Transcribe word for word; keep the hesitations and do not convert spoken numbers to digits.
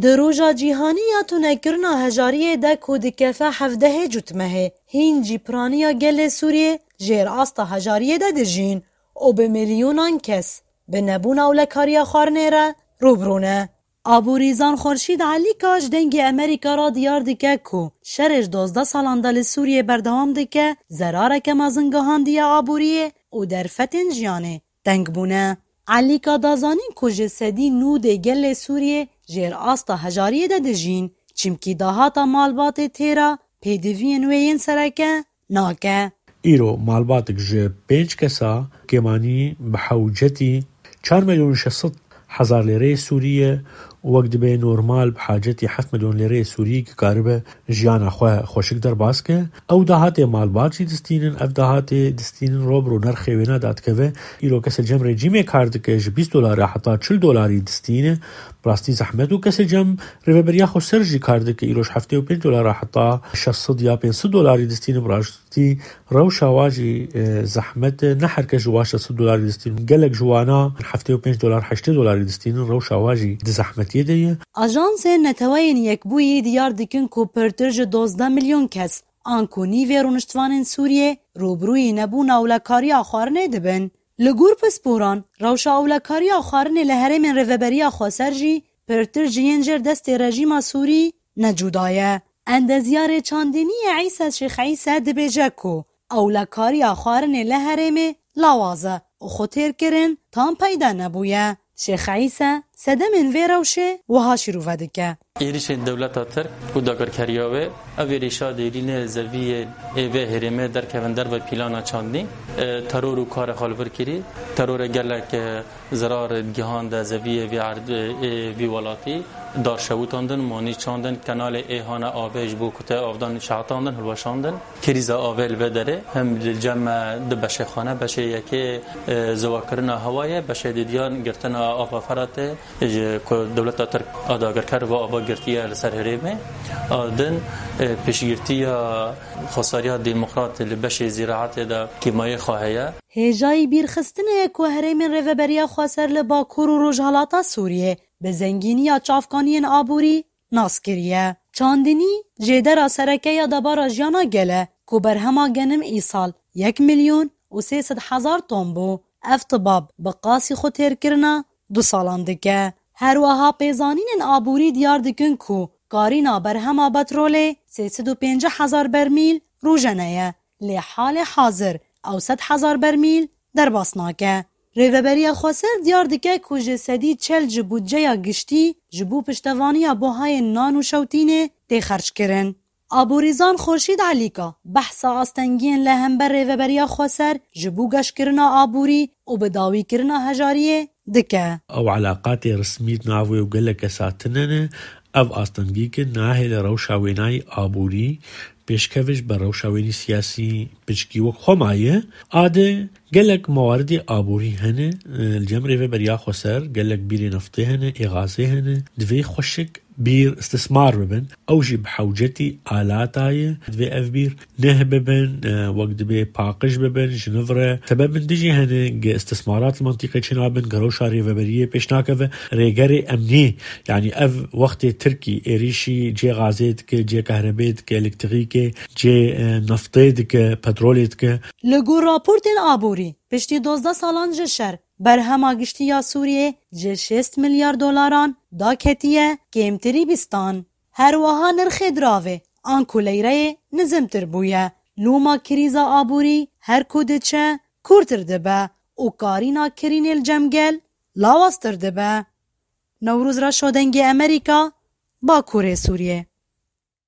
Di roja cîhanî ya tunekirina hejariyê de ku dikefe hevdehê cotmehê, hîn jî piraniya gelê Sûriyê jêr asta hejariyê de dijîn û bi milyonan kes bi nebûna ewlekariya xwarinê re rûbirû ne. Aborîzan Xurşîd Elîka ji Dengê Amerîka re diyar dike ku şerê ji dozdeh salan de li Sûriyê berdewam dike, zerareke mezin gihandiye aboriyê û derfetên jiyanê teng bûne. Elîka da zanîn ku ji sedî nûdê gelê Sûriyê jêr asta hejariyê de dijîn, çimkî dahata malbatê têra pêdiviyên wê yên sereke nake. Îro malbatek ji pênc kesa kêmanî bi hewcetî çar milyon şeş sed hezar lêreyê Sûrî ye û wek dibê normal bi hacetî heft milyon lêreyê Sûrî ki karibe jiyana xwe xweşik derbas ke. Ew dahatê malbat jî distînin, ev dahatê distînin ro bi ro nirxê wêna dadikeve. Îro kesê cem rejîmê kar dike ji bîst dolara heta çil dolarî distîne. Bi rastî zehmet û kesê cem rêveberiya xweser jî kar dike. Îro ji heftê û pênc dolara heta şeş sed ya pênc sed dolarî distîne. Bi rastî rewşa wa jî, e, zehmet e. Ne her kes ji wa şeş sed dolarî distînin. Gelek ji wana heftê û pênc dolar, heştê dolarî distînin. Rewşa wa jî di zehmetiyê de ye. Ajansên Neteweyên Yekbûyî diyar dikin ku pirtir ji dozdeh milyon kes, anku nîvê rûniştvanên Sûriyê, rûbirûyî nebûna ewlekariya xwarinê dibin. Li gor pisporan, rewşa ewlekariya xwarinê li herêmên Rêveberiya Xweser jî pirtir ji yên jêr destê rejîma Sûrî ne cuda ye. Endezyarê çandiniyê Îse Şêx Îse dibêje ku ewlekariya xwarinê li herêmê lawaz e û xwetêrkirin tam peyda nebûye. Şêx Îse sedemên vê rewşê wiha şîrove dike. Êrîşên dewleta Tirk û dagirkeriya wê, ev êrîşa dêrî ne zeviyê ê vê herêmê derkevin derve pîlana çandinî, e, teror û karê xwe li vir kirî, terorê gelek, e, zerar digihande zeviyê vî erd-, ê vî welatî, dar şewitandin, monî çandin, kenalê ê hane avê ji bo kute avdan şehetandin, hilweşandin. Krîza avê li vê derê hem li cem me du beşê xane, beşê yekê, e, ziwakirina hewa ye, beşê didiyan girtina ava Feratê, ji ku dewleta Tirk a dagirker va ava girtiye li ser herêmê. A din, e, piştgirtiya xwesariya demokrat li beşê zîraetê de kîmayê xwe heye. Hêjayî bîrxistinê ye ku herêmên Rêveberiya Xweser li Bakur û Rojhalata Sûriyê bi zengîniya çavkaniyên aborî nas kiriye. Çandinî jêdera sereke ya debara jiyana gel e ku berhema genim îsal yek milyon û sê sed hezar ton bû. Ev tibab bi qasî xwe têrkirina du salan dike. Her wiha pêzanînên aborî diyar dikin ku karîna berhema petrolê sê sed û pêncî hezar bermîl rojane ye. Lê halê hazir ew sed hezar bermîl derbas nake. Rêveberiya Xweser diyar dike ku ji sedî çel ji budceya giştî ji bo piştevaniya buhayên nan û şewtînê tê xerckirin. Aborîzan Xurşîd Elîka behsa astengiyên li hember Rêveberiya Xweser ji bo geşkirina aborî û bidawîkirina hejariyê dike. Ew eleqatê resmî di nav wê û gelek kesa tune ne. Ev astengî ki nahêle rewşa wênayî aborî pêşkevij be rewşa wênî siyasî piçkî wek xwe maye. Ade gelek mewaridê aborî hene, e, li cem Rêveberiya Xweser gelek bîrê neftê hene, ê gazê hene. Divê xweşik bîr istismar bibin. Ew jî bi hewcetî alata ye. Divê ev bîr neh bibin, e, wek dibê paqij bibin, ji niv re. Sebebin dijî hene ge istismarat li mintîqê çênabin, ge rewşa rêveberiyê pêş nakeve. Rêgerê emnî, yanî ev wextê Tirkî êrîşî cê gazê dike, cê kahrebê dike, elektrîkê, cê, e, neftê dike, petrolê dike. Li gor raportên aborî, piştî dozdeh salan ji şer, berhema giştî ya Sûriyê ji şêst milyar dolaran daketiye kêmtirî bîstan. Her wiha nirxê diravê anku leyreyê nizimtir bûye. Loma krîza aborî her ku diçe kûrtir dibe û karîna kirînê li cem gel lawaztir dibe. Newroz Reşo, Dengê Amerîka, Bakurê Sûriyê.